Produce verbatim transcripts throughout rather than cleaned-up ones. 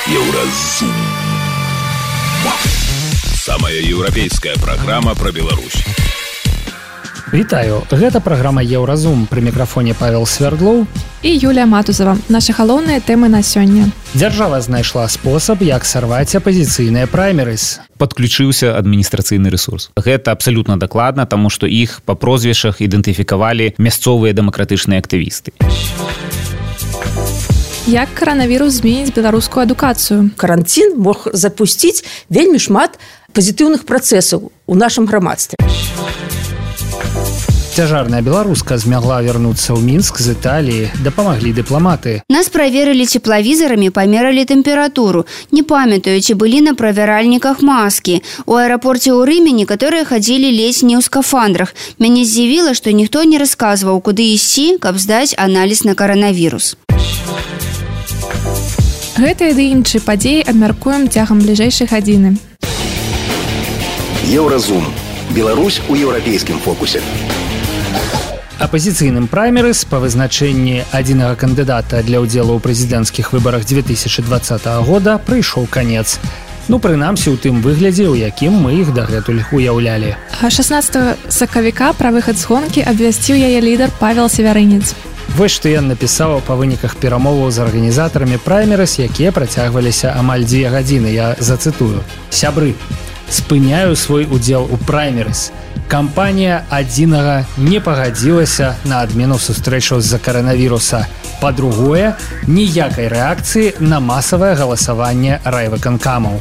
Еўразум. Самая еўрапейская праграма пра Беларусь. Вітаю, гэта праграма Еўразум. Пры мікрафоне Павел Свердлоў і Юлія Матузава. Нашы галоўныя тэмы на сёння. Дзяржава знайшла спосаб, як сарваць апазіцыйныя праймерыз. Падключыўся адміністрацыйны рэсурс. Гэта абсалютна дакладна, таму што іх па прозвішчах ідэнтыфікавалі мясцовыя дэмакратычныя актывісты. Як каранавірус зменіць беларускую адукацыю? Карантин мог запусціць вельмі шмат пазітыўных працэсаў у нашым грамадстве. Цяжарная беларуска змагла вярнуцца ў Мінск з Італіі, дапамаглі дыпламаты. Нас праверылі цеплавізарамі, памералі тэмпературу. Не памятаю, ці былі на правяральніках маскі. У аэрапорце ў Рыме некаторыя хадзілі ледзь не ў скафандрах. Мяне здзівіла, што ніхто не расказваў, куды ісці, каб здаць аналіз на каранавірус. Гэтыя ды іншыя падзеі абмяркуем цягам бліжэйшай гадзіны. Еўразум. Беларусь у еўрапейскім фокусе. Апазіцыйным праймерыз па вызначэнні адзінага кандыдата для ўдзелу ў прэзідэнцкіх выбарах две тысячи двадцатого года прыйшоў канец. Ну, прынамсі, у тым выглядзе, у якім мы іх дагэтуль уяўлялі. шаснаццатага сакавіка пра выхад з гонкі абвясціў яе лідар Павел Севярынец. Вось што ён напісаў па выніках перамоваў з арганізатарамі праймерыз, якія працягваліся амаль дзве гадзіны. Я зацытую. Сябры, спыняю свой удзел у праймерыз. Кампанія адзінага не пагадзілася на адмену сустрэчаў з-за каранавіруса. Па-другое, ніякай рэакцыі на масавае галасаванне райвыканкамаў.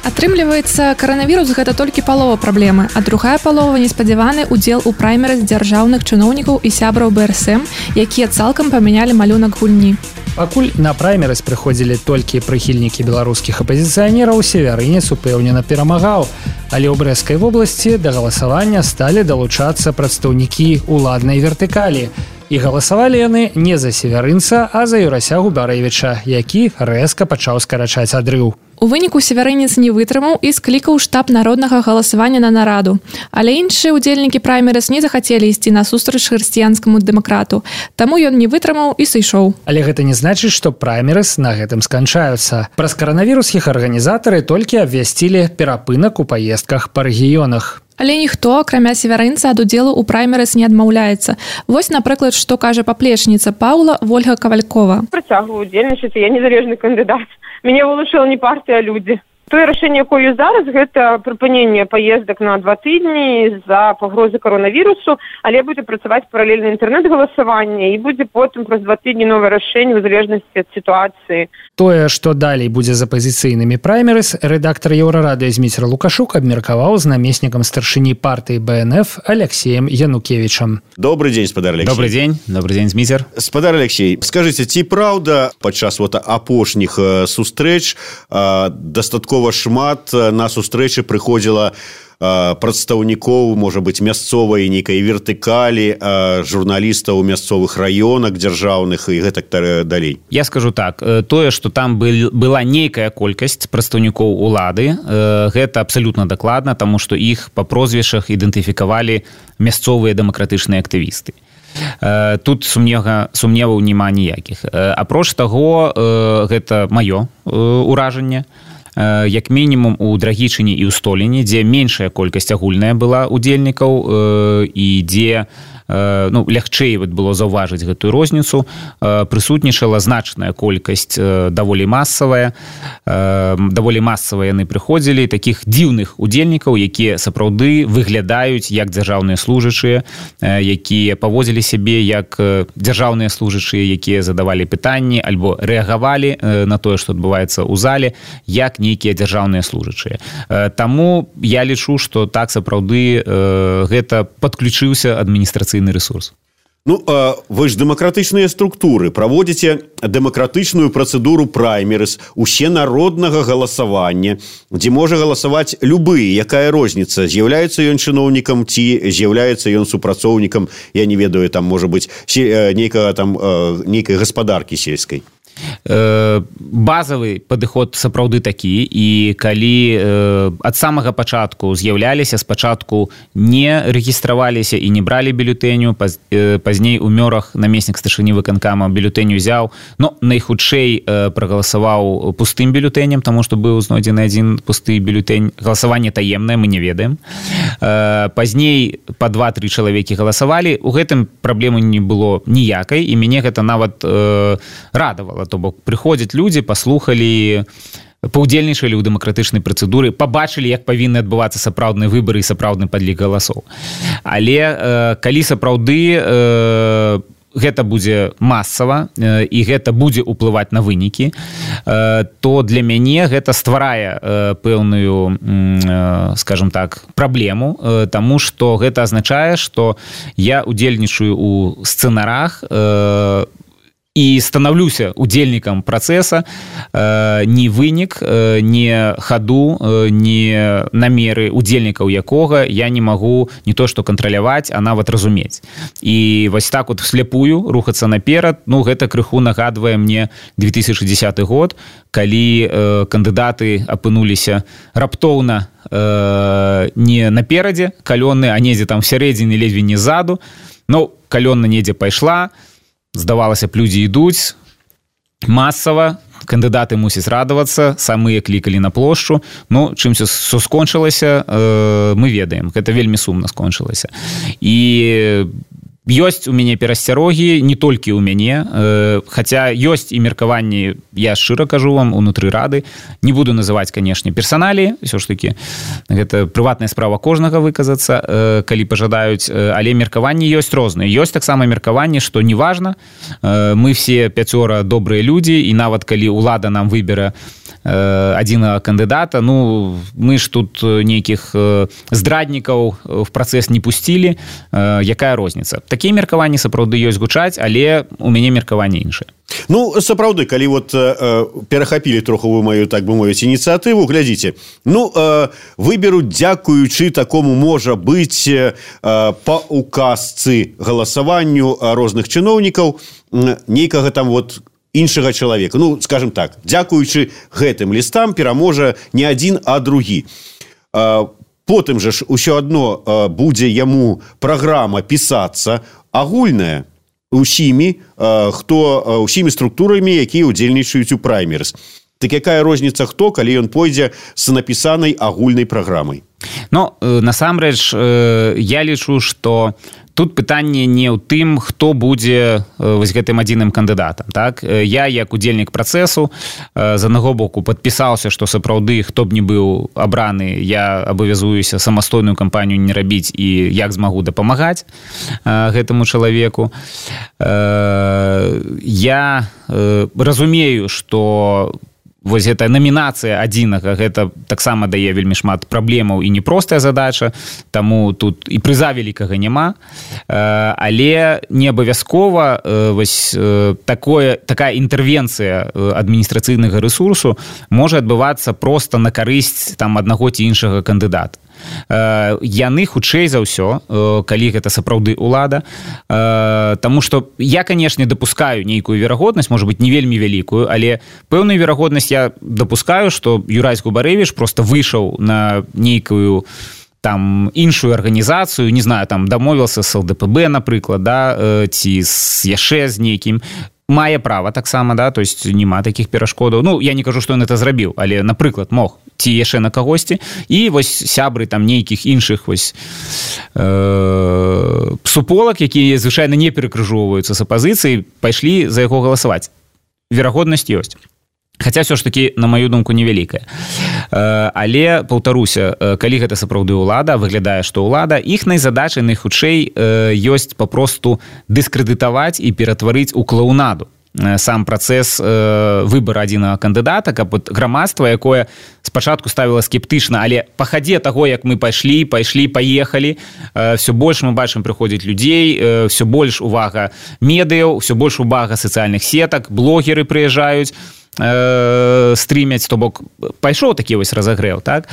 Атрымліваецца, каранавірус гэта толькі палова праблемы, а другая палова неспадзяваны ўдзел у праймерыз дзяржаўных чыноўнікаў і сябраў бэ эр эс эм, якія цалкам памянялі малюнак гульні. Пакуль на праймерыз прыходзілі толькі прыхільнікі беларускіх апазіцыянераў, Севярынец упэўнена перамагаў, але ў Брэскай вобласці да галасавання сталі далучацца прадстаўнікі уладнай вертыкалі. І галасавалі яны не за Севярынца, а за Юрася Губарэвіча, які рэзка пачаў скарачаць адрыў. У выніку Севярынец не вытрымаў і склікаў штаб народнага галасавання на нараду. Але іншыя ўдзельнікі праймерыз не захацелі ісці насустрач хрысціянскаму дэмакрату. Таму ён не вытрымаў і сышоў. Але гэта не значыць, што праймерыз на гэтым сканчаюцца. Праз каранавірус іх арганізатары толькі абвясцілі перапынак у паездках па рэгіёнах. Але ніхто, акрамя Севярынца, ад удзелу ў праймерыз не адмаўляецца. Вось, напрыклад, што кажа паплечніца Паўла Вольга Кавалькова. Працягваю удзельнічаць, я незалежны кандыдат. Мяне вылучыла не партыя, а людзі. Тое рашэнне, якое зараз, гэта прыпыненне паездак на два тыдні з-за пагрозы каранавірусу, але будзе працаваць паралельна інтэрнэт-галасаванне і будзе потым праз два тыдні новае рашэнне ў залежнасці ад сітуацыі. Тое, што далей будзе з апазіцыйнымі праймерыз, рэдактар Еўрарадыё Зміцер Лукашук абмеркаваў з намеснікам старшыні партыі бэ эн эф Алексеем Янукевічам. Добрый день, спадар Алексей. Добрый день, добрый день, Зміцер. Спадар Алексей, скажыце, ці праўда падчас вот апошніх сустрэч дастаткова шмат на сустрэчы прыходзіла прадстаўнікоў, можа быць, мясцовай нейкай вертыкалі, журналістаў у мясцовых раёнах дзяржаўных і гэтак далей? Я скажу так, тое, што там был, была нейкая колькасць прадстаўнікоў улады, гэта абсалютна дакладна, таму што іх па прозвішчах ідэнтыфікавалі мясцовыя дэмакратычныя актывісты. Тут сумнева, сумневаў няма ніякіх. Апроч таго, гэта маё ўражанне, як мінімум у Драгічыне і ў Століне, дзе меншая колькасць агульная была удзельнікаў і дзе ну, лягчэй было заўважыць гэтую розніцу, прысутнічала значная колькасць даволі масавая, даволі масава яны прыходзілі, такіх дзіўных удзельнікаў, якія сапраўды выглядаюць як дзяржаўныя служачыя, якія паводзілі сябе як дзяржаўныя служачыя, якія задавалі пытанні альбо рэагавалі на тое, што адбываецца ў зале, як нейкія дзяржаўныя служачыя. Таму я лічу, што так сапраўды гэта падключыўся адміністрацыйны ресурс. Ну, а вы ж дэмакратычныя структуры, праводзіце дэмакратычную працэдуру праймерыз, усенароднага галасавання, дзе можа галасаваць любы, якая розніца, з'яўляецца ён чыноўнікам ці з'яўляецца ён супрацоўнікам, я не ведаю, там можа быць нейкага там нейкай гаспадаркі сельскай. базавы падыход сапраўды такі, і калі ад самага пачатку з'яўляліся, спачатку не рэгістраваліся і не бралі бюлетэню, пазней у Мёрах намеснік старшыні выканкама бюлетэнь узяў, но найхутчэй прагаласаваў пустым бюлетэнем, таму што быў знойдзены адзін пусты бюлетэнь. Галасаванне таемнае, мы не ведаем. Пазней па два-тры чалавекі галасавалі, у гэтым праблемы не было ніякай, і мяне гэта нават радавала. То бок прыходзяць людзі, паслухалі, паўдзельнічалі ў дэмакратычнай працэдуры, пабачылі, як павінны адбывацца сапраўдныя выбары і сапраўдны падлік галасоў. Але э, калі сапраўды э, гэта будзе масава э, і гэта будзе ўплываць на вынікі, э, то для мяне гэта стварае э, пэўную, э, скажем так, праблему, э, таму што гэта азначае, што я удзельнічаю ў сцэнарах, э, і станаўлюся удзельнікам працэса, э, ні вынік, э, ні хаду, э, ні намеры удзельнікаў якога я не магу не то што кантраляваць, а нават разумець. І вось так вот вслепую рухацца наперад, ну гэта крыху нагадвае мне две тысячи дзесяты год, калі э, кандыдаты апынуліся раптоўна э, не наперадзе калёны, а недзе там всярэдзіне, ледзьве не ззаду. Ну, калёна недзе пайшла, здавалася б, людзі ідуць масава, кандыдаты мусяць радавацца, самыя клікалі на плошчу. Ну, чым все скончылася, э, мы ведаем. Гэта вельмі сумна скончылася. І ёсць у мяне перасцярогі, не толькі ў мяне, э, хаця ёсць і меркаванні, я шчыра кажу вам, унутры рады. Не буду называць, канешне, персаналіі, ўсё ж такі, гэта прыватная справа кожнага выказацца, э, калі пажадаюць, э, але меркаванні ёсць розныя. Ёсць таксама меркаванні, што неважна, э, мы все пяцёра добрыя людзі, і нават калі ўлада нам выбере адзінага кандыдата, ну, мы ж тут нейкіх здраднікаў в працэс не пусцілі, якая розніца? Такія меркаванні сапраўды ёсць гучаць, але у мяне меркаванне іншае. Ну, сапраўды, калі вот э, перахапілі троху вы маю, так бы мовіць, ініцыятыву, глядзіце, ну, э, выберуць, дзякуючы такому, можа быць, э, па указцы галасаванню розных чыноўнікаў, э, нейкага там вот іншага чалавека. Ну, скажем так, дзякуючы гэтым лістам пераможа не адзін, а другі. Потым жа ж усё адно будзе яму праграма пісацца агульная усімі, хто усімі структурамі, якія ўдзельнічаюць у праймерыз. Так якая розніца хто, калі ён пойдзе з напісанай агульнай праграмай? Ну, насамрэч, я лічу, што тут пытанне не ў тым, хто будзе вось гэтым адзіным кандыдатам. Так? Я, як удзельнік працэсу, з аднаго боку падпісаўся, што сапраўды, хто б не быў абраны, я абавязуюся самастойную кампанію не рабіць і як змагу дапамагаць гэтаму чалавеку. Я разумею, што вось гэта намінацыя адзінага, гэта таксама дае вельмі шмат праблемаў і непростая задача, таму тут і прыза вялікага няма, але не абавязкова вось такое, такая інтэрвенцыя адміністрацыйнага рэсурсу можа адбывацца проста на карысць там аднаго ці іншага кандыдата. Яны хутчэй за ўсё, калі гэта сапраўды ўлада, таму што я, канешне, дапускаю нейкую верагоднасць, можа быць, не вельмі вялікую, але пэўную верагоднасць я дапускаю, што Юрась Губарэвіч проста выйшаў на нейкую там іншую арганізацыю, не знаю, там дамовіўся з ЛДПБ, напрыклад, да, ці з яшчэ з нейкім, мае права таксама, да, то есть няма такіх перашкодаў. Ну, я не кажу, што ён это зрабіў, але, напрыклад, мог ці яшчэ на кагосьці, і вось сябры там нейкіх іншых вось э, суполак, якія звычайна не перакрыжоўваюцца з апазіцыяй, пайшлі за яго галасаваць. Верагоднасць ёсць. Хаця ўсё ж такі, на маю думку, невялікая. Але, паўтаруся, калі гэта сапраўды ўлада, выглядае, што ўлада, іхнай задачай найхутчэй ёсць папросту дыскрэдытаваць і ператварыць у клоунаду сам працэс выбара адзінага кандыдата, каб грамадства, якое спачатку ставіла скептычна, але па хадзе таго, як мы пайшлі, пайшлі, паехалі, все больш мы бачым прыходзіць людзей, все больш увага медыяў, все больш увага сацыяльных сетак, блогеры прыязджаюць, э, стрымяць, то бок пайшоў такі вось разагрэў, так,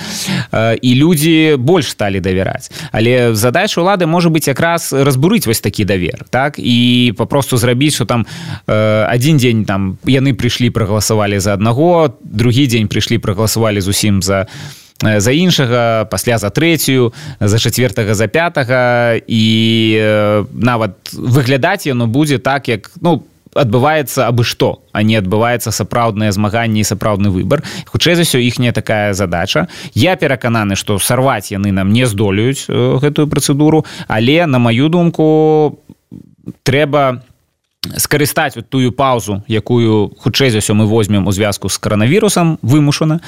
э, і людзі больш сталі давяраць. Але задача ўлады можа быць якраз разбурыць вось такі давер, так, і папросту зрабіць, што там э, адзін дзень там яны прыйшлі, прагаласавалі за аднаго, другі дзень прыйшлі, прагаласавалі зусім за за іншага, пасля за трэцюю, за чацвертага, за пятага, і э, нават выглядаць яно будзе так, як, ну, адбываецца абы што, а не адбываецца сапраўднае змаганне і сапраўдны выбар. Хутчэй за ўсё, іхняя такая задача. Я перакананы, што сарваць яны нам не здолеюць э, гэтую працэдуру, але, на маю думку, трэба скарыстаць вот тую паузу, якую хутчэй за ўсё мы возьмем у звязку з каранавірусам вымушана,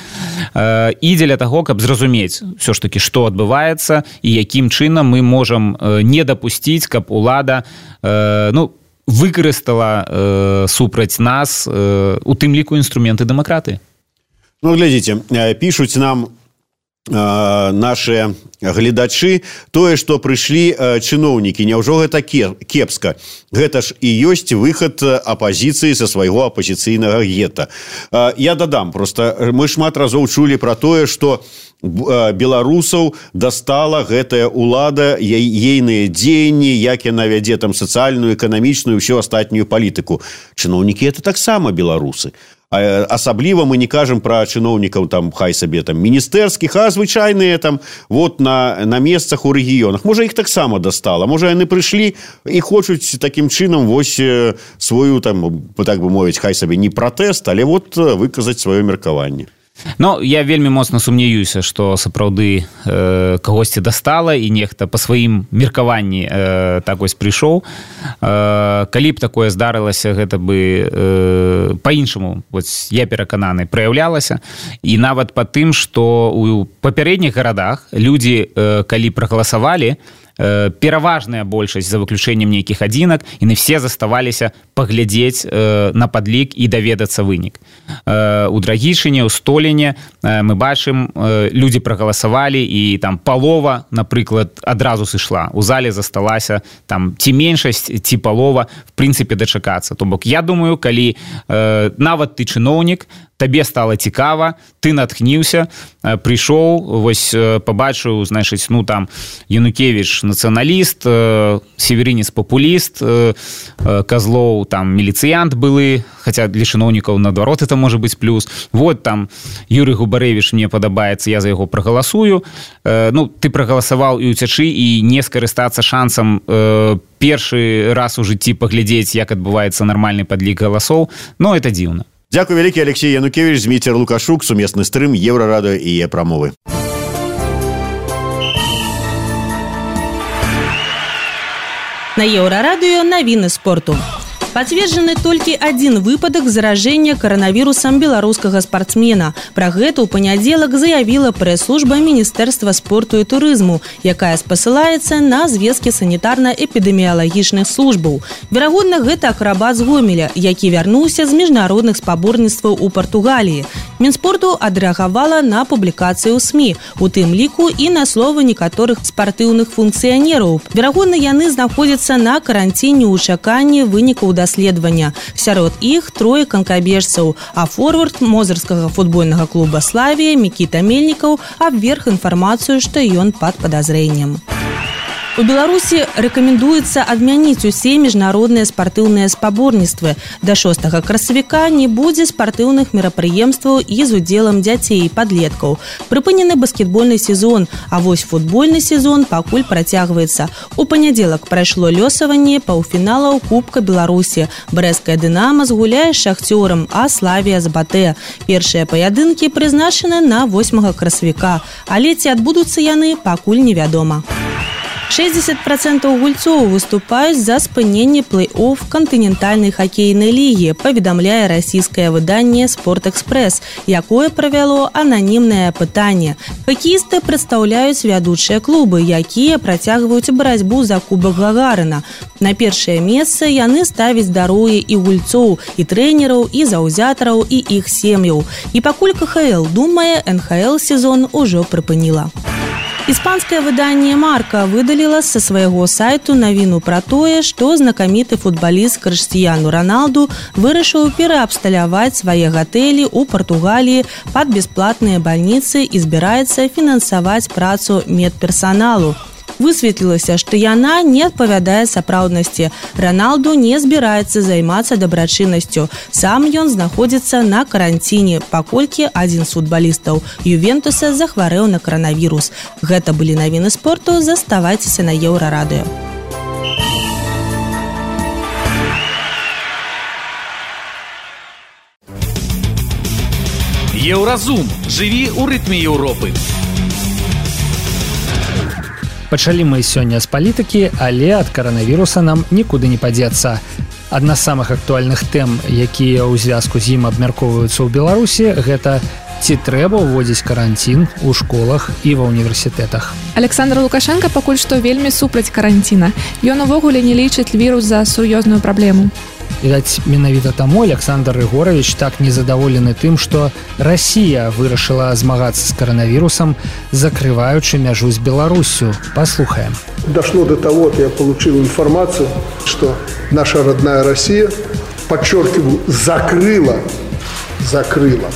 э, і дзеля таго, каб зразумець ўсё ж такі, што адбываецца і якім чынам мы можам э, не дапусціць, каб улада э, ну, выкарыстала э, супраць нас э, у тым ліку інструменты дэмакратыі. Ну, глядзіце, пішуць нам наши гледачы тое, што прыйшлі чыноўнікі, няўжо гэта кепска? Гэта ж і ёсць выхад апазіцыі са свайго апазіцыйнага гета. Я дадам, просто мы шмат разоў чулі пра тое, што беларусаў дастала гэтая ўлада, ейныя дзеянні, як яна вядзе там сацыяльную, эканамічную, ўсю астатнюю палітыку. Чыноўнікі это таксама беларусы. Асабліва мы не кажам пра чыноўнікаў там, хай сабе там міністэрскіх, а звычайныя там вот на, на месцах у рэгіёнах. Можа, іх таксама дастала. Можа, яны прыйшлі і хочуць такім чынам вось сваю там, так бы мовіць, хай сабе не пратэст, але вот выказаць сваё меркаванне. Ну, я вельмі моцна сумнеюся, што сапраўды э, кагосьці дастала і нехта па сваім меркаванні э, так вось прыйшоў. Э, калі б такое здарылася, гэта бы э, па-іншаму, вось я перакананы, праяўлялася. І нават па тым, што у папярэдніх гарадах людзі, э, калі прагаласавалі, пераважная большасць за выключэннем нейкіх адзінак, яны все заставаліся паглядзець э, на падлік і даведацца вынік. Э, у Драгічыне, у Століне э, мы бачым, э, людзі прагаласавалі і там палова, напрыклад, адразу сышла. У зале засталася там ці меншасць, ці палова, в прынцыпе, дачакацца. То бок, я думаю, калі э, нават ты чыноўнік, табе стала цікава, ты натхніўся, прыйшоў, вось пабачыў, значыць, ну там Янукевіч нацыяналіст, Северінец папуліст, Казлоў там міліцыянт былы, хаця для чыноўнікаў наадварот это можа быць плюс. Вот там Юрый Губарэвіч мне падабаецца, я за яго прагаласую. Ну, ты прагаласаваў і ўцячы, і не скарыстацца шансам першы раз у жыцці паглядзець, як адбываецца нармальны падлік галасоў. Ну, это дзіўна. Дякую вялікі, Алексей Янукевич, Зміцер Лукашук, сумесны стрым Еўрарадыё і Е-прамовы. На Еўрарадыё навіны спорту. Пацверджаны толькі адзін выпадак заражэння каранавірусам беларускага спартсмена. Пра гэта ў панядзелак заявіла прэс-служба Міністэрства спорту і турызму, якая спасылаецца на звесткі санітарна-эпідэміялагічных службаў. Верагодна, гэта акрабат з Гомеля, які вярнуўся з міжнародных спаборніцтваў у Партугаліі. Мінспорту адрэагавала на публікацыю ў СМІ, у тым ліку і на словы некаторых спартыўных функцыянераў. Верагодна, яны знаходзяцца на каранціне ў чаканні вынікаў даследавання. Сярод іх трое канкабежцаў, а форвард мозырскага футбольнага клуба «Славія» Мікіта Мельнікаў абверг інфармацыю, што ён пад падазрэннем. У Беларусі рэкамендуецца адмяніць усе міжнародныя спартыўныя спаборніцтвы. Да шостага красавіка не будзе спартыўных мерапрыемстваў і з удзелам дзяцей і падлеткаў. Прыпынены баскетбольны сезон, а вось футбольны сезон пакуль працягваецца. У панядзелак прайшло лёсаванне паўфіналаў Кубка Беларусі. Брэсцкая «Дынама» згуляе з «Шахцёрам», а «Славія» з «Батэ». Першыя паядынкі прызначаны на восьмага красавіка, але ці адбудуцца яны, пакуль невядома. шэсцьдзесят працэнтаў гульцоў выступаюць за спыненне плэй-офф кантынентальнай хакейнай лігі, паведамляе расійскае выданне «Спортэкспрэс», якое правяло ананімнае апытанне. Хакеісты прадстаўляюць вядучыя клубы, якія працягваюць барацьбу за кубак Гагарына. На першае месца яны ставяць здароўе і гульцоў, і трэнераў, і заўзятараў, і іх сем'яў. І пакуль ка ха эл думае, эн ха эл сезон ужо прыпыніла. Іспанскае выданне «Марка» выдаліла са свайго сайту навіну пра тое, што знакаміты футбаліст Крыштіяну Роналду вырашыў пераабсталяваць свае гатэлі ў Партугаліі пад бясплатныя бальніцы і збіраецца фінансаваць працу медперсаналу. Высветлілася, што яна не адпавядае сапраўднасці. Роналду не збіраецца займацца дабрачыннасцю. Сам ён знаходзіцца на каранціне, паколькі адзін з футбалістаў Ювентуса захварэў на каранавірус. Гэта былі навіны спорту. Заставайцеся на Еўрарадыё. Еўразум. Жыві ў рытме Еўропы. Пачалі мы сёння з палітыкі, але ад каранавіруса нам нікуды не падзецца. Адна з самых актуальных тэм, якія ў звязку з ім абмяркоўваюцца ў Беларусі, гэта ці трэба ўводзіць каранцін у школах і ва ўніверсітэтах. Александр Лукашенко пакуль што вельмі супраць каранціна. Ён увогуле не лічыць вірус за сур'ёзную праблему. Відаць, менавіта таму Александр Рыгорович так незадаволены тым, што Расія вырашыла змагацца з каранавірусам, закрываючы мяжу з Беларусью. Послухаем. Дошло до того, что я получил информацию, что наша родная Россия, подчеркиваю, закрыла, закрыла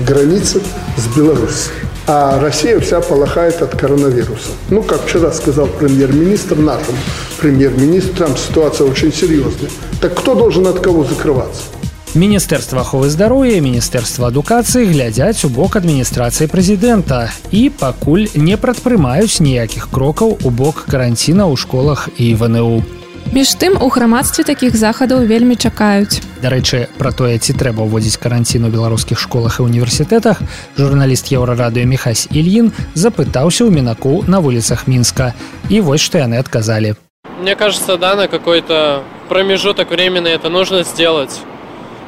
границы с Беларусью. А Россия вся полыхает от коронавируса. Ну, как вчера сказал премьер-министр нашему премьер-министру, там ситуация очень серьезная. Так кто должен от кого закрываться? Міністэрства аховы здароўя і Міністэрства адукацыі глядзяць у бок адміністрацыі прэзідэнта і пакуль не прадпрымаюць ніякіх крокаў у бок каранціна ў школах і в эн э у. Між тым, у грамадстве такіх захадаў вельмі чакаюць. Дарэчы, пра тое, ці трэба ўводзіць каранцін у беларускіх школах і універсітэтах, журналіст Еўрарадыё Міхась Ільін запытаўся ў мінаку на вуліцах Мінска. І вось што яны адказалі. Мне кажется, да, на какой-то промежуток времени это нужно сделать.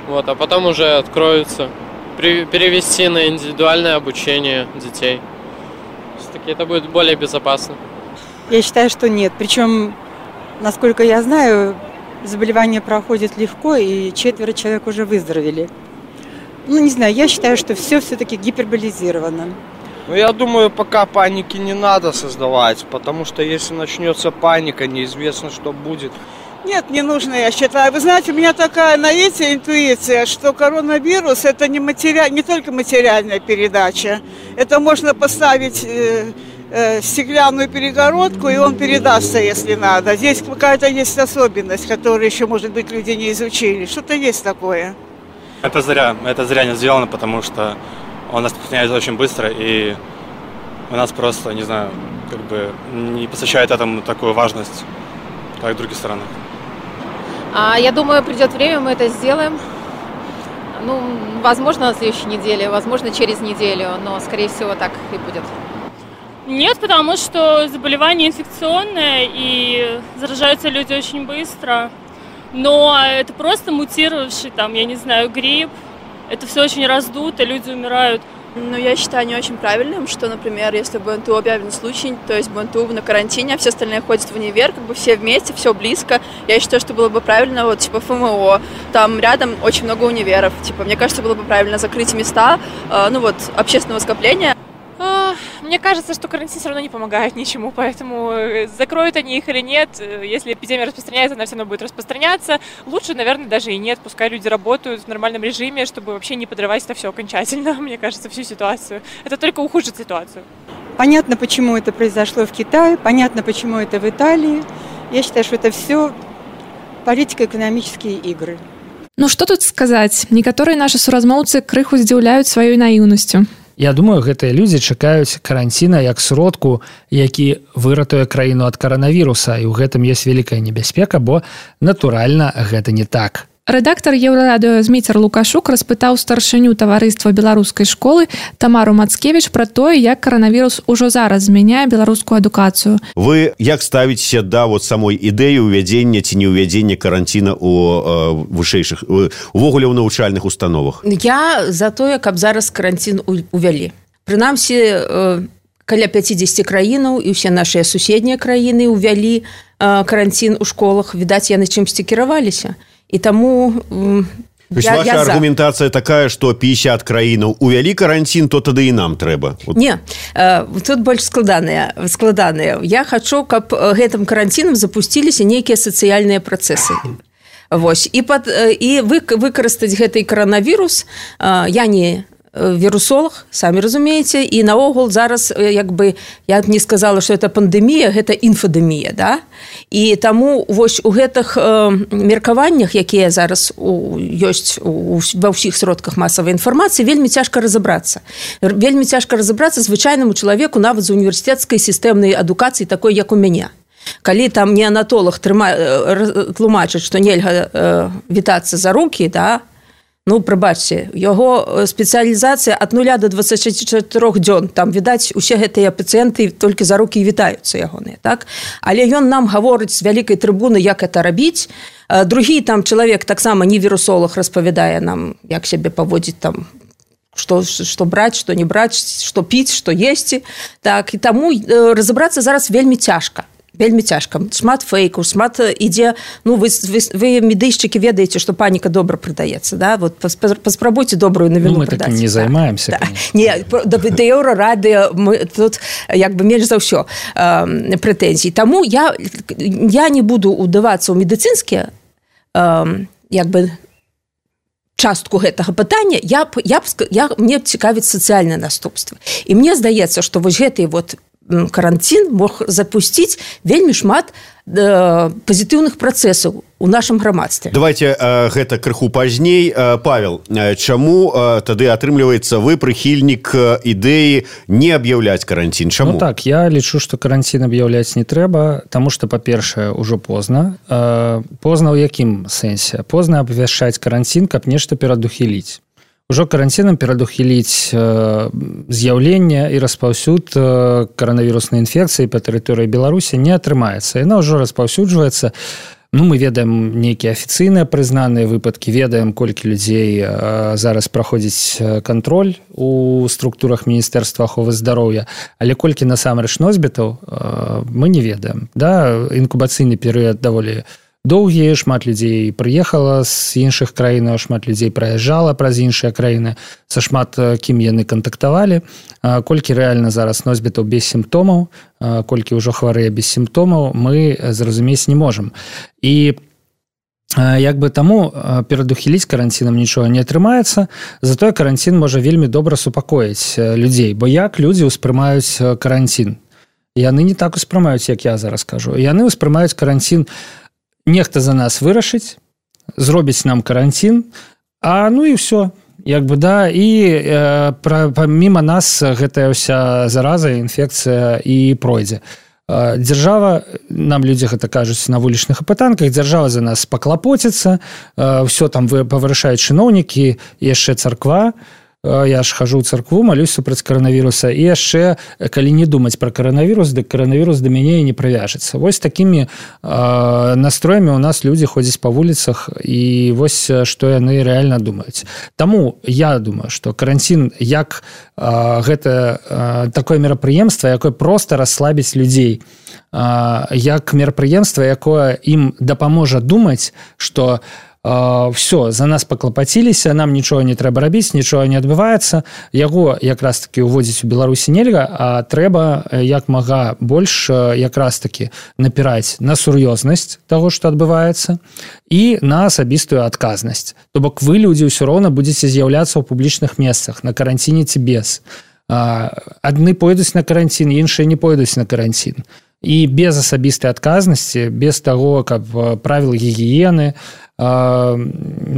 Вот, а потом уже откроются. При, перевести на индивидуальное обучение детей. Все-таки это будет более безопасно. Я считаю, что нет. Причем, насколько я знаю, заболевание проходит легко, и четверо человек уже выздоровели. Ну, не знаю, я считаю, что все все-таки гиперболизировано. Ну, я думаю, пока паники не надо создавать, потому что если начнется паника, неизвестно, что будет. Нет, не нужно, я считаю. Вы знаете, у меня такая, знаете, интуиция, что коронавирус – это не, матери... не только материальная передача. Это можно поставить э, э, стеклянную перегородку, и он передастся, если надо. Здесь какая-то есть особенность, которую еще, может быть, люди не изучили. Что-то есть такое. Это зря. Это зря не сделано, потому что он распространяется очень быстро, и у нас просто, не знаю, как бы не посвящает этому такую важность, как в других странах. А, я думаю, придет время, мы это сделаем. Ну, возможно, на следующей неделе, возможно, через неделю, но, скорее всего, так и будет. Нет, потому что заболевание инфекционное, и заражаются люди очень быстро. Но это просто мутировавший, там, я не знаю, грипп. Это все очень раздуто, люди умирают. Ну, я считаю не очень правильным, что, например, если в БНТУ объявлен случай, то есть БНТУ на карантине, а все остальные ходят в универ, как бы все вместе, все близко. Я считаю, что было бы правильно, вот, типа, ФМО, там рядом очень много универов. Типа, мне кажется, было бы правильно закрыть места, э, ну, вот, общественного скопления. Мне кажется, что карантин все равно не помогает ничему, поэтому закроют они их или нет, если эпидемия распространяется, она все равно будет распространяться. Лучше, наверное, даже и нет, пускай люди работают в нормальном режиме, чтобы вообще не подрывать это все окончательно, мне кажется, всю ситуацию. Это только ухудшит ситуацию. Понятно, почему это произошло в Китае, понятно, почему это в Италии. Я считаю, что это все политико-экономические игры. Ну што тут сказаць? Некаторыя нашы суразмоўцы крыху здзіўляюць сваёй наіўнасцю. Я думаю, гэтыя людзі чакаюць каранціна як сродку, які выратуе краіну ад каранавіруса, і ў гэтым ёсць вялікая небяспека, бо, натуральна, гэта не так. Рэдактар Еўрарадыё Зміцер Лукашук распытаў старшыню таварыства беларускай школы Тамару Мацкевіч пра тое, як каранавірус ужо зараз змяняе беларускую адукацыю. Вы як ставіцеся да вот самой ідэі ўвядзення ці не ўвядзення каранціна у э, вышэйшых, увогуле ў навучальных установах? Я за тое, каб зараз каранцін увялі. Прынамсі, э, каля пяцідзесяці краінаў і ўсе нашыя суседнія краіны ўвялі э, каранцін у школах. Відаць, яны чымсьці кіраваліся. І таму То есть я, ваша я аргументация за. Такая, что пятьдесят краінаў увялі карантин, то тады і нам трэба. Вот. Не, тут больш складаныя, складаныя. Я хочу, каб гэтым карантинам запусціліся нейкія сацыяльныя працэсы. Вось. І, пад, і выкарыстаць гэты коронавірус, я не вірусолог, самі разумееце, і наогул зараз, як бы, я не сказала, што это пандэмія, гэта інфадэмія, да? І таму вось у гэтых э, меркаваннях, якія зараз у, ёсць у, ва ўсіх сродках масавай інфармацыі, вельмі цяжка разабрацца. Вельмі цяжка разабрацца звычайнаму чалавеку нават з універсітэцкай сістэмнай адукацыі, такой, як у мяне. Калі там неанатолог тлумачыць, што нельга э, вітацца за рукі, да, ну, прабачце, яго спецыялізацыя ад нуля до дваццаці чатырох дзён, там, відаць, усе гэтыя пацыенты толькі за рукі і вітаюцца ягоныя, так? Але ён нам гаворыць з вялікай трыбуны, як это рабіць. Другі там чалавек, таксама не вірусолог, распавядае нам, як сябе паводзіць там, што, што браць, што не браць, што піць, што есці. Так, і таму разабрацца зараз вельмі цяжка. Вельмі цяжка. Шмат фейкаў, шмат ідзе... Ну, вы, вы, вы медыйшчыкі, ведаеце, што паніка добра прадаецца, да? Вот паспрабуйце добрую навіну ну, мы прадаць. Мы такім не займаемся, да. Не, да Еўрарадыё мы тут як бы менш за ўсё э, прэтэнзій. Таму я, я не буду ўдавацца ў медыцынскія э, як бы частку гэтага пытання. Я, я, я, мне цікавіць сацыяльнае наступства. І мне здаецца, што вось гэтыя вот карантин мог запусціць вельмі шмат э, пазітыўных працэсаў у нашым грамадстве. Давайте э, гэта крыху пазней. Э, Павел, э, чаму э, тады атрымліваецца вы прыхільнік ідэі не аб'яўляць карантин? Чаму? Ну так, я лічу, што карантин аб'яўляць не трэба, таму што, па-першае, ужо позна. Э, позна ў якім сэнсе? Позна абвяшчаць карантин, каб нешта перадухіліць. Ужо карантинам перадухіліць э, з'яўлення і распаўсюд э, каранавіруснай інфекцыі па тэрыторыі Беларусі не атрымаецца. Яна ўжо распаўсюджваецца. Ну, мы ведаем нейкія афіцыйныя прызнаныя выпадкі, ведаем, колькі людзей э, зараз праходзіць кантроль у структурах Міністэрства аховы здароўя, але колькі насамрэч носьбітаў э, мы не ведаем. Да? Інкубацыйны перыяд даволі доўгі, шмат людзей прыехала з іншых краінаў, шмат людзей праязджала праз іншыя краіны, са шмат кім яны кантактавалі, колькі рэальна зараз носьбітаў без сімптомаў, колькі ўжо хварэе без сімптомаў, мы зразумець не можам. І як бы таму перадухіліць карантинам нічога не атрымаецца, затое карантин можа вельмі добра супакоіць людзей, бо як людзі ўспрымаюць карантин? Яны не так успрымаюць, як я зараз кажу. Яны ўспрымаюць карантин, нехта за нас вырашыць, зробіць нам карантин, а ну і ўсё. Як бы, да, і э, пра, паміма нас гэтая ўся зараза, інфекцыя і пройдзе. Э, дзяржава, нам людзі гэта кажуць на вулічных апытанках, дзяржава за нас паклапоціцца, э, ўсё там павырашаюць чыноўнікі, яшчэ царква. Я ж хожу ў царкву, малюсь супраць каранавіруса, і яшчэ, калі не думаць пра каранавірус, дык каранавірус да мяне і не прывяжацца. Вось такімі э, настроямі ў нас людзі ходзяць па вуліцах, і вось што яны рэальна думаюць. Таму я думаю, што карантин як э, гэта э, такое мерапрыемства, якое проста расслабіць людзей, э, як мерапрыемства, якое ім дапаможа думаць, што Uh, все, за нас паклапаціліся, нам нічога не трэба рабіць, нічога не адбываецца. Яго якраз таки уводзіць у Беларусі нельга, а трэба як мага больш якраз таки напіраць на сур'ёзнасць таго, што адбываецца, і на асабістую адказнасць. То бок вы, людзі, ўсё роўна будзеце з'яўляцца ў публічных месцах, на каранціне ці без. Uh, адны пойдуць на карантин, іншыя не пойдуць на карантин. І без асабістай адказнасці, без таго, каб правіл гігіены, э,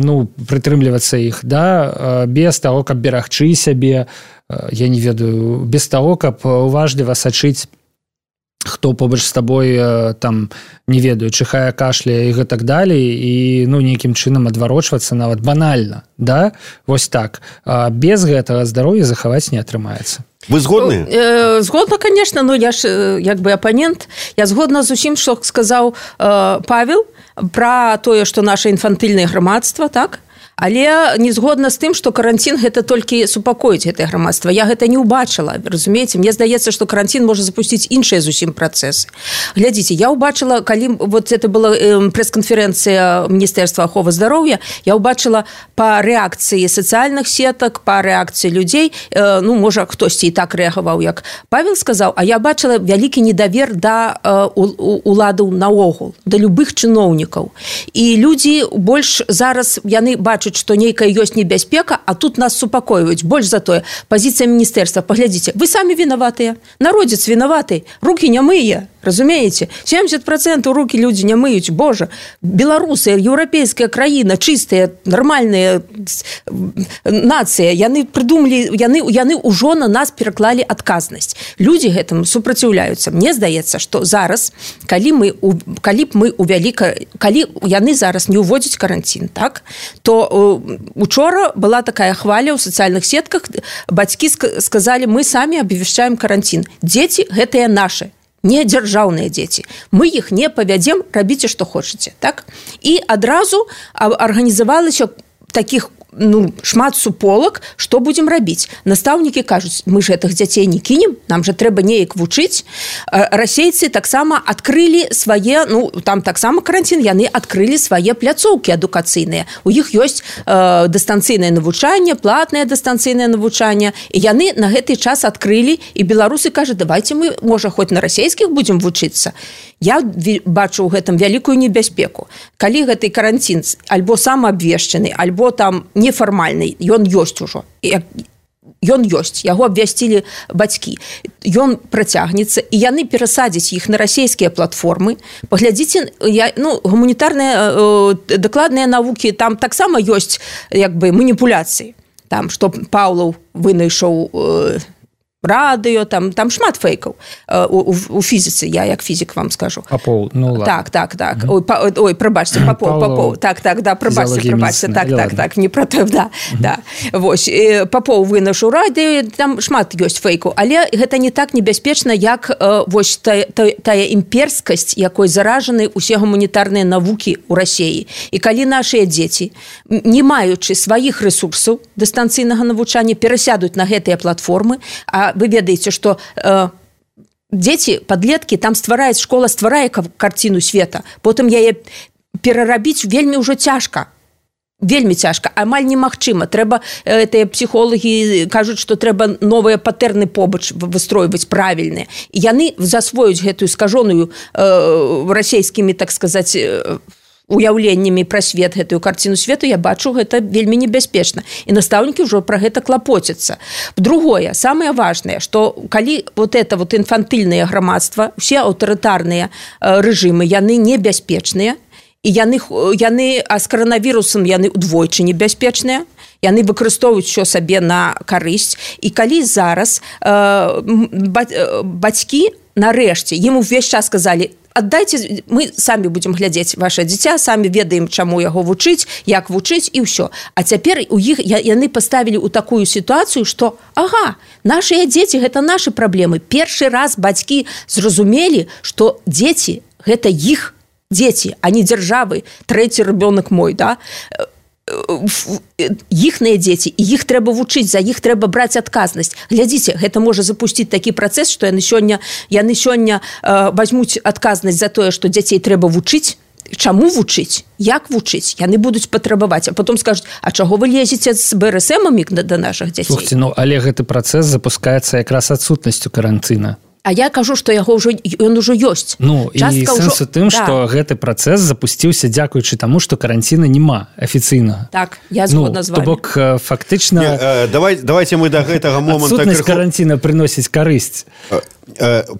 ну, прытрымлівацца іх, да, без таго, каб берагчы сябе, э, я не ведаю, без таго, каб уважліва сачыць, хто побач з табой, э, там, не ведаю, чихае, кашляе і гэтак далей, і, ну, нейкім чынам адварочвацца нават банальна, да, вось так. А без гэтага здароўя захаваць не атрымаецца. Вы згодны? Э, згодна, конечно, но я ж як бы апанент. Я згодна з усім, што сказаў э, Павел пра тое, што наша інфантыльнае грамадства, так? Але не згодна з тым, што карантин гэта толькі супакоіць гэтае грамадства. Я гэта не ўбачыла, разумееце, мне здаецца, што карантин можа запусціць іншыя зусім працэсы. Глядзіце, я ўбачыла, калі вот это была прэс-канферэнцыя Міністэрства аховы здароўя, я ўбачыла па рэакцыі сацыяльных сетак, па рэакцыі людзей, ну, можа, хтосьці і так рэагаваў, як Павел сказаў, а я бачыла вялікі недавер да уладаў наогул, да любых чыноўнікаў. І людзі больш зараз, яны бачаць, што нейкая ёсць небяспека, а тут нас супакойваюць. Больш за тое, пазіцыя міністэрства, паглядзіце, вы самі вінаватыя, народзец вінаваты, рукі не мые, разумееце? семьдесят процентов рукі людзі не мыюць, божа, беларусы, еўрапейская краіна, чыстая, нармальная нацыя, яны прыдумалі, яны, яны ўжо на нас пераклалі адказнасць. Людзі гэтым супраціўляюцца. Мне здаецца, што зараз, калі мы, калі б мы увялі, калі яны зараз не ўводзяць карантин, так, то учора была такая хваля ў сацыяльных сетках, бацькі сказалі, мы самі абвяшчаем карантин. Дзеці гэтыя нашы, не дзяржаўныя дзеці. Мы іх не павядзем, рабіце, што хочаце, так? І адразу арганізавалася такіх, ну, шмат суполак, што будзем рабіць. Настаўнікі кажуць, мы ж гэтых дзяцей не кінем, нам жа трэба неяк вучыць. Расейцы таксама адкрылі свае, ну, там таксама карантин, яны адкрылі свае пляцоўкі адукацыйныя. У іх ёсць э, дыстанцыйнае навучанне, платнае дыстанцыйнае навучанне, і яны на гэты час адкрылі, і беларусы кажуць, давайте мы, можа, хоць на расейскіх будзем вучыцца. Я бачу ў гэтым вялікую небяспеку. Калі гэты карантин альбо самаабвешчаны, альбо там нефармальны, ён ёсць ужо. Ён ёсць, яго абвясцілі бацькі. Ён працягнецца, і яны перасадзяць іх на расійскія платформы. Паглядзіце, я, ну, гуманітарныя э, дакладныя навукі, там таксама ёсць як бы маніпуляцыі. Там, што Паўлаў вынайшоў э, радыё, там, там шмат фейкаў э, у, у фізіцы, я як фізік вам скажу. Папоў, ну ладно. Так, так, так. Mm-hmm. Ой, па, ой, прабачце, Папоў, Папоў. Так, так, да, прабачце, прабачце. Так, так, так, так, не про то, да, mm-hmm. да. Вось, э, Папоў вынайшоў радыё, там шмат ёсць фейкаў, але гэта не так небяспечна, як э, вось тая, тая, тая імперскасць, якой заражаны усе гуманітарныя навукі ў Расіі. І калі нашыя дзеці, не маючы сваіх рэсурсаў дыстанцыйнага навучання, перасядуць на гэтыя платформы, а вы ведаеце, што э, дзеці, падлеткі, там ствараюць, школа стварае карціну света, потым яе перарабіць вельмі ўжо цяжка. Вельмі цяжка, амаль немагчыма. Трэба, гэтыя псіхолагі кажуць, што трэба новыя патэрны побач выстройваць правільныя. І яны засвоюць гэтую скажоную э, расійскімі, так сказаць, э, уяўленнямі пра свет, гэтую карціну свету, я бачу, гэта вельмі небяспечна. І настаўнікі ўжо пра гэта клапоцяцца. Другое, самае важнае, што калі вот это вот інфантыльнае грамадства, усе аўтарытарныя рэжымы, яны небяспечныя, і яны, яны а з каранавірусам яны удвойчы небяспечныя, яны выкарыстоўваюць усё сабе на карысць. І калі зараз э, бацькі, нарэшце, ім увесь час сказалі, аддайце, мы самі будзем глядзець ваше дзіця, самі ведаем, чаму яго вучыць, як вучыць, і ўсё. А цяпер у іх яны паставілі ў такую сітуацыю, што ага, нашыя дзеці гэта нашы праблемы. Першы раз бацькі зразумелі, што дзеці гэта іх дзеці, а не дзяржавы, трэці ребёнак мой, да? Іхныя дзеці, і іх трэба вучыць, за іх трэба браць адказнасць. Глядзіце, гэта можа запусціць такі працэс, што яны сёння, яны сёння э, вазьмуць адказнасць за тое, што дзяцей трэба вучыць. Чаму вучыць? Як вучыць? Яны будуць патрабаваць, а потом скажуць, а чаго вы лезеце з бэ эр эс эмамі да нашых дзяцей? Слухайте, ну, але гэты працэс запускаецца якраз адсутнасцю карантына. А я кажу, што яго ўжо, ён ужо ёсць. Ну, частка і сэнс у тым, што да. Гэты працэс запусціўся дзякуючы таму, што каранціна няма афіцыйна. Так, я згодна ну, з вами. То бок, фактычна... Не, э, давай, давайте мы да гэтага момента... Адсутнасць крыху... каранціна прыносіць карысць.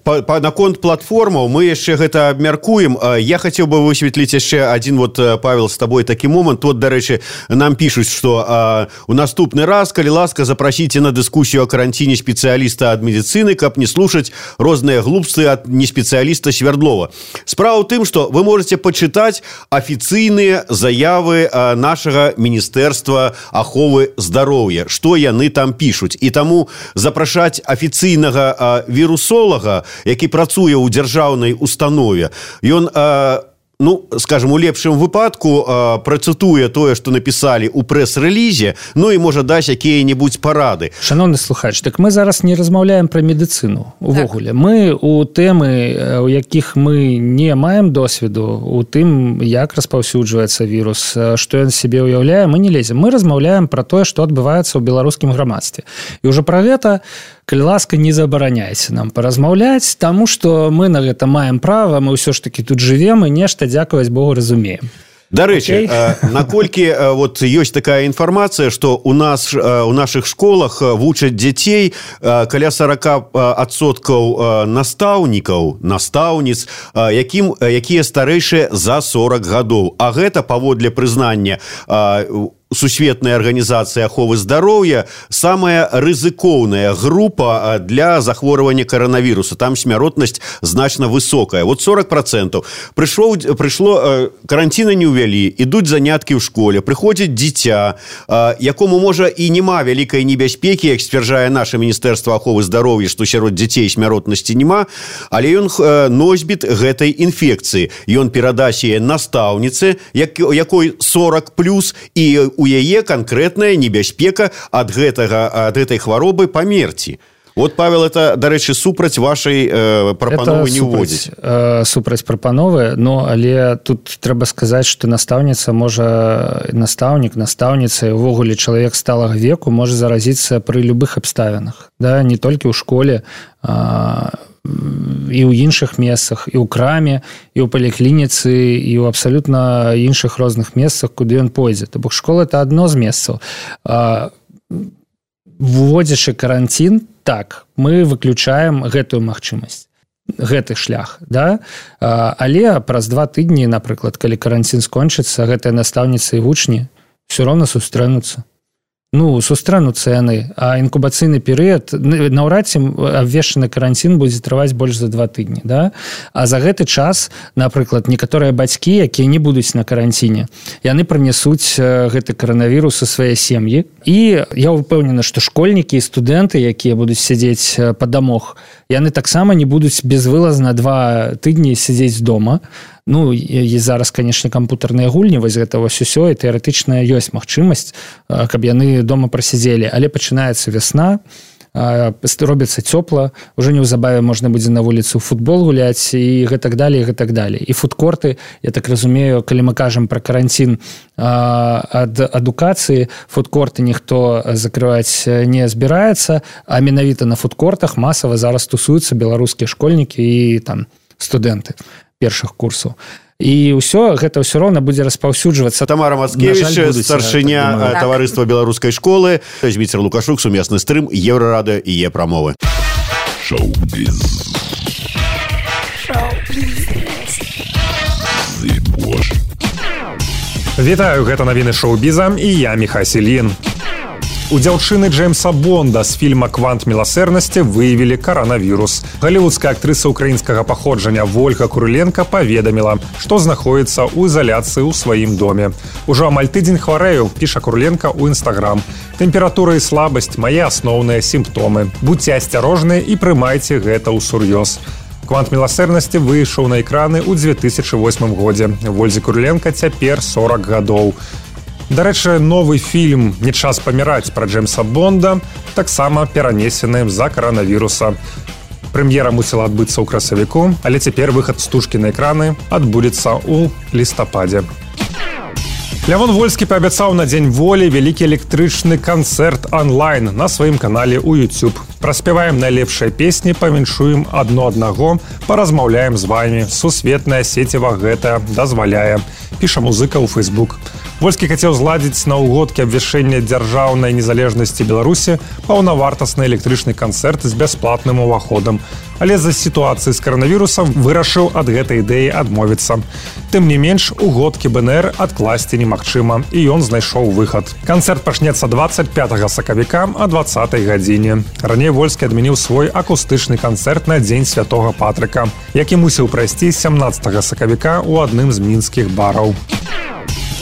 Па, па, наконт платформаў мы яшчэ гэта абмяркуем. Я хацеў бы высветліць яшчэ адзін, вот, Павел, з табой такі момант. Вот, дарэчы, нам пішуць, што а, у наступны раз, калі ласка, запрасіце на дыскусію о каранціне спецыяліста ад медыцыны, каб не слушаць розныя глупствы ад неспецыяліста Свердлова. Справа ў тым, што вы можаце пачытаць афіцыйныя заявы а, нашага Міністэрства аховы здароўя, што яны там пішуць. І таму запрашаць афіцыйнага а, вірусолага, які працуе ў дзяржаўнай установе, ён а, ну, скажем, у лепшым выпадку э, працытуе тое, што напісалі ў прэс-рэлізе, ну і можа даць якія-небудзь парады. Шановны слухач, так мы зараз не размаўляем пра медыцыну увогуле. Так. Мы у тэмы, у якіх мы не маем досведу, у тым, як распаўсюджваецца вірус, што ён сябе ўяўляе, мы не лезем. Мы размаўляем пра тое, што адбываецца ў беларускім грамадстве. І ўжо пра гэта, калі ласка, не забараняйце нам паразмаўляць, таму што мы на гэта маем права, мы ўсё ж такі тут жывем і нешта, дзякаваць Богу, разумеем. Дарэчы, okay. наколькі вот ёсць такая інфармацыя, што у нас у нашых школах вучаць дзяцей каля сорок адсоткаў настаўнікаў, настаўніц, якім якія старэйшыя за сорок гадоў. А гэта паводле прызнання Сусветнай арганізацыі аховы здароўя самая рызыкоўная група для захворвання каранавіруса. Там смяротнасць значна высокая. Вот сорок процентов. Прышло, прышло каранціна не ўвялі, ідуць заняткі ў школе, прыходзіць дзіця, якому можа і няма вялікай небяспекі, як сцвярджае наше Міністэрства аховы здароўя, што сярод дзяцей смяротнасці няма, але ён носьбіт гэтай інфекцыі. Ён перадасць яе настаўніцы, якой сорок плюс, і у яе канкрэтная небяспека ад гэтага, ад гэтай хваробы памерці. Вот, Павел, это, дарэчы, супраць вашай э, прапановы не ўводзіць. Э, супраць прапановы, но але тут трэба сказаць, што настаўніца можа, настаўнік, настаўніца, увогуле чалавек сталага веку можа заразіцца пры любых абставінах. Да? Не толькі ў школе, а і ў іншых месцах, і ў краме, і ў паліклініцы, і ў абсалютна іншых розных месцах, куды ён пойдзе. То бок школа – это адно з месцаў. Вводзячы каранцін, так, мы выключаем гэтую магчымасць, гэты шлях, да? Але праз два тыдні, напрыклад, калі каранцін скончыцца, гэтыя настаўніцы і вучні ўсё роўна сустрэнуцца. Ну, сустрэнуцца яны, а інкубацыйны перыяд, наўрад ці абвешчаны каранцін будзе трываць больш за два тыдні, да? А за гэты час, напрыклад, некаторыя бацькі, якія не будуць на каранціне, яны прынясуць гэты каранавірус у свае сем'і. І я ўпэўнена, што школьнікі і студэнты, якія будуць сядзець па дамах, яны таксама не будуць безвылазна два тыдні сядзець дома. Ну, і зараз, канешне, кампутарныя гульні, вось гэта вось усё, і тэарэтычна ёсць магчымасць, каб яны дома прасядзелі. Але пачынаецца вясна, робіцца цёпла, ужо неўзабаве можна будзе на вуліцу футбол гуляць і гэтак далей, і гэтак далей. І фудкорты, я так разумею, калі мы кажам пра каранцін ад адукацыі, фудкорты ніхто закрываць не збіраецца, а менавіта на фудкортах масава зараз тусуюцца беларускія школьнікі і там студэнты першых курсаў. І ўсё, гэта ўсё роўна будзе распаўсюджвацца. Тамара Мацкевіч, старшыня таварыства беларускай школы, Зміцер Лукашук, сумесны стрым, Еўрарадыё і Е-прамовы. Шоу-біз. Вітаю, гэта навіны шоу-біза, і я Міхась Ільін. У дзяўчыны Джеймса Бонда з фільма «Квант міласэрнасці» выявілі каранавірус. Галівудская актрыса украінскага паходжання Вольга Куриленко паведаміла, што знаходзіцца ў ізаляцыі ў сваім доме. Ужо амаль тыдзень хварэю, піша Куриленко ў Інстаграм. Тэмпература і слабасць – мае асноўныя сімптомы. Будзьце асцярожныя і прымайце гэта ўсур'ёз. «Квант міласэрнасці» выйшаў на экраны ў дзве тысячы восьмым годзе. Вользе Куриленко цяпер сорок гадоў. Дарэчы, новы фільм «Не час паміраць» пра Джеймса Бонда таксама перанесены з-за каранавіруса. Прэм'ера мусіла адбыцца ў красавіку, але цяпер выхад стужкі на экраны адбудзецца ў лістападзе. Лявон Вольскі паабяцаў на Дзень волі вялікі электрычны канцэрт онлайн на сваім канале ў YouTube. Праспяваем найлепшыя песні, павіншуем адно аднаго, паразмаўляем з вамі. Сусветная сеціва гэта дазваляе, піша музыка ў Facebook. Вольскі хацеў зладзіць на ўгодкі абвяшчэння дзяржаўнай незалежнасці Беларусі паўнавартасны электрычны канцэрт з бясплатным уваходам. Але з-за сітуацыі з каранавірусам вырашыў ад гэтай ідэі адмовіцца. Тым не менш, угодкі БНР адкласці немагчыма, і ён знайшоў выхад. Канцэрт пачнецца дваццаць пятага сакавіка а дваццатай гадзіне. Раней Вольскі адмяніў свой акустычны канцэрт на Дзень Святога Патрыка, які мусіў прайсці сямнаццатага сакавіка ў адным з мінскіх бараў.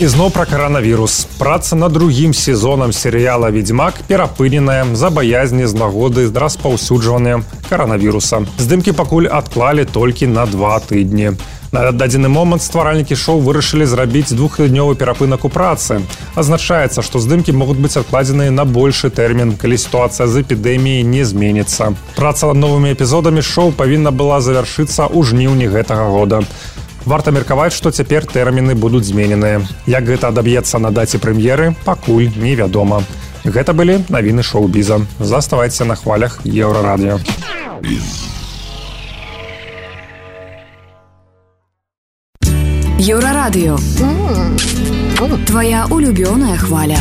І зноў пра каранавірус. Праца над другім сезонам серыяла «Ведзьмак» перапыненая з-за баязні з нагоды распаўсюджвання каранавіруса. Здымкі пакуль адклалі толькі на два тыдні. На дадзены момант стваральнікі шоу вырашылі зрабіць двухтыднёвы перапынак у працы. Азначаецца, што здымкі могуць быць адкладзеныя на большы тэрмін, калі сітуацыя з эпідэміяй не зменіцца. Праца над новымі эпізодамі шоу павінна была завяршыцца ў жніўні гэтага года. Варта меркаваць, што цяпер тэрміны будуць змененыя. Як гэта адаб'ецца на даце прэм'еры, пакуль невядома. Гэта былі навіны шоу-біза. Заставайцеся на хвалях Еўрарадыё. Еўрарадыё. Твая улюбёная хваля.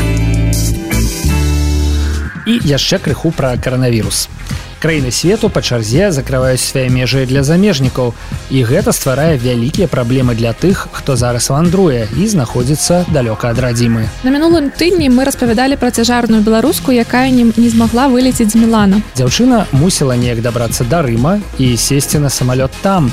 І яшчэ крыху пра каранавірус. Краіны свету па чарзе закрываюць свае межы для замежнікаў, і гэта стварае вялікія праблемы для тых, хто зараз вандруе і знаходзіцца далёка ад радзімы. На мінулым тыдні мы распавядалі пра цяжарную беларуску, якая не, не змагла вылецець з Мілана. Дзяўчына мусіла неяк дабрацца да Рыма і сесці на самалёт там.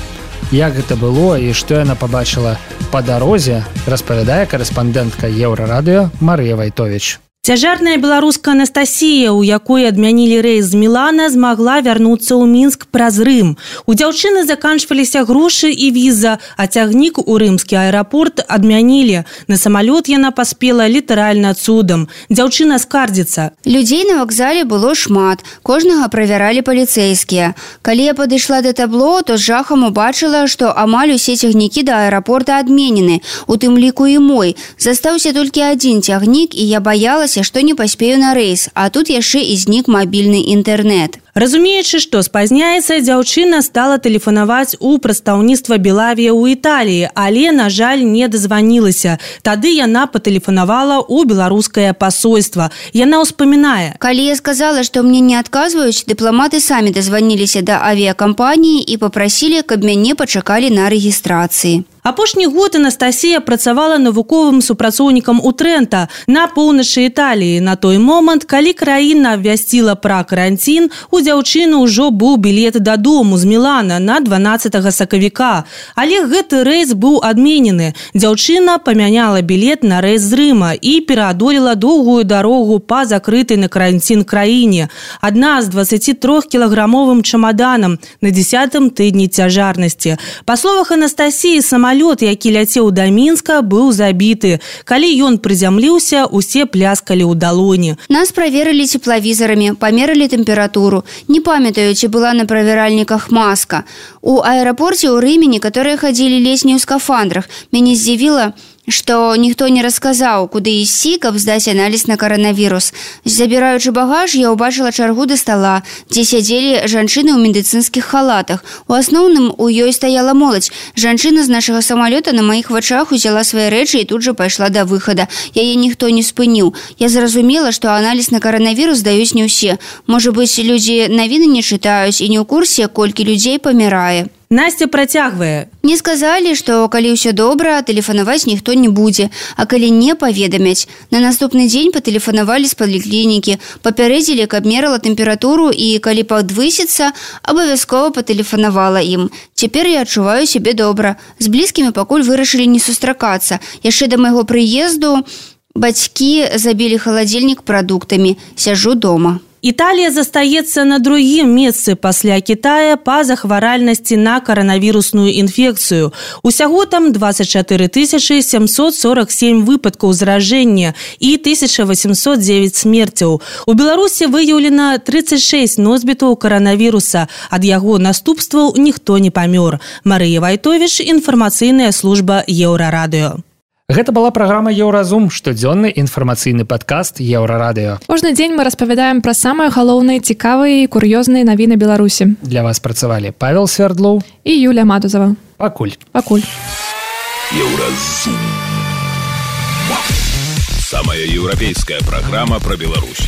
Як гэта было і што яна пабачыла па дарозе, распавядае карэспандэнтка Еўрарадыё Марыя Вайтовіч. Цяжарная беларуска Анастасія, у якой адмянілі рэйс з Мілана, змагла вярнуцца ў Мінск праз Рым. У дзяўчыны заканчваліся грошы і віза, а цягнік у рымскі аэрапорт адмянілі. На самалёт яна паспела літаральна цудам. Дзяўчына скардзіцца. Людзей на вакзале было шмат, кожнага правяралі паліцэйскія. Калі я падышла да табло, то з жахам убачыла, што амаль усе цягнікі да аэрапорта адменены, у тым ліку і мой. Застаўся толькі адзін цягнік, і я баялася, што не паспею на рэйс, а тут яшчэ і знік мабільны інтэрнэт. Разумеючы, што спазняецца, дзяўчына стала тэлефанаваць у прадстаўніцтва Белавія ў Італіі, але, на жаль, не дазванілася. Тады яна патэлефанавала ў беларускае пасольства. Яна ўспамінае. Калі я сказала, што мне не адказваюць, дыпламаты самі дазваніліся да авіякампаніі і папрасілі, каб мяне пачакалі на рэгістрацыі. Апошні год Анастасія працавала навуковым супрацоўнікам у Трэнта на поўначы Італіі. На той момант, калі краіна абвясціла пра каранцін, у дзяўчыны ўжо быў білет дадому з Мілана на дванаццатага сакавіка. Але гэты рэйс быў адменены. Дзяўчына памяняла білет на рэйс з Рыма і пераадолела доўгую дарогу па закрытай на каранцін краіне. Адна з дваццацітрохкілаграмовым чамаданам на дзесятым тыдні цяжарнасці. Па словах Анастасіі, самалёт, які ляцеў да Мінска, быў забіты. Калі ён прызямліўся, усе пляскалі ў далоні. Нас праверылі цеплавізарамі, памерылі тэмпературу. Не памятаю, ці была на правяральніках маска. У аэрапорце ў Рыме некаторыя хадзілі ледзь не ў скафандрах. Мяне здзівіла, што ніхто не расказаў, куды ісці, каб здаць аналіз на каранавірус. Забіраючы багаж, я ўбачыла чаргу да стала, дзе сядзелі жанчыны ў медыцынскіх халатах. У асноўным у ёй стаяла моладзь. Жанчына з нашага самалёта на маіх вачах узяла свае рэчы і тут жа пайшла да выхада. Яе ніхто не спыніў. Я зразумела, што аналіз на каранавірус даюць не ўсе. Можа быць, людзі навіны не чытаюць і не ў курсе, колькі людзей памірае. Настя працягвае. Мне сказалі, што калі ўсё добра, тэлефанаваць ніхто не будзе, а калі не паведамяць. На наступны дзень патэлефанавалі з паліклінікі, папярэдзілі, каб мерала тэмпературу і калі падвысіцца, абавязкова патэлефанавала ім. Цяпер я адчуваю сябе добра. З блізкімі пакуль вырашылі не сустракацца. Яшчэ да майго прыезду бацькі забілі халадзільнік прадуктамі. Сяджу дома. Італія застаецца на другім месцы пасля Кітая па захваральнасці на каранавірусную інфекцыю. Усяго там дваццаць чатыры тысячы сямсот сорок сем выпадкаў заражэння і тысяча восемьсот девять смерцяў. У Беларусі выяўлена тридцать шесть носьбітаў каранавіруса. Ад яго наступстваў ніхто не памёр. Марыя Вайтовіч, інфармацыйная служба Еўрарадыё. Гэта была праграма Еўразум, штодзённы інфармацыйны падкаст Еўрарадыё. Кожны дзень мы распавядаем пра самыя галоўныя, цікавыя і кур'ёзныя навіны Беларусі. Для вас працавалі Павел Свердлоў і Юлія Матузава. Пакуль. Пакуль. Еўразум. Самая еўрапейская праграма пра Беларусь.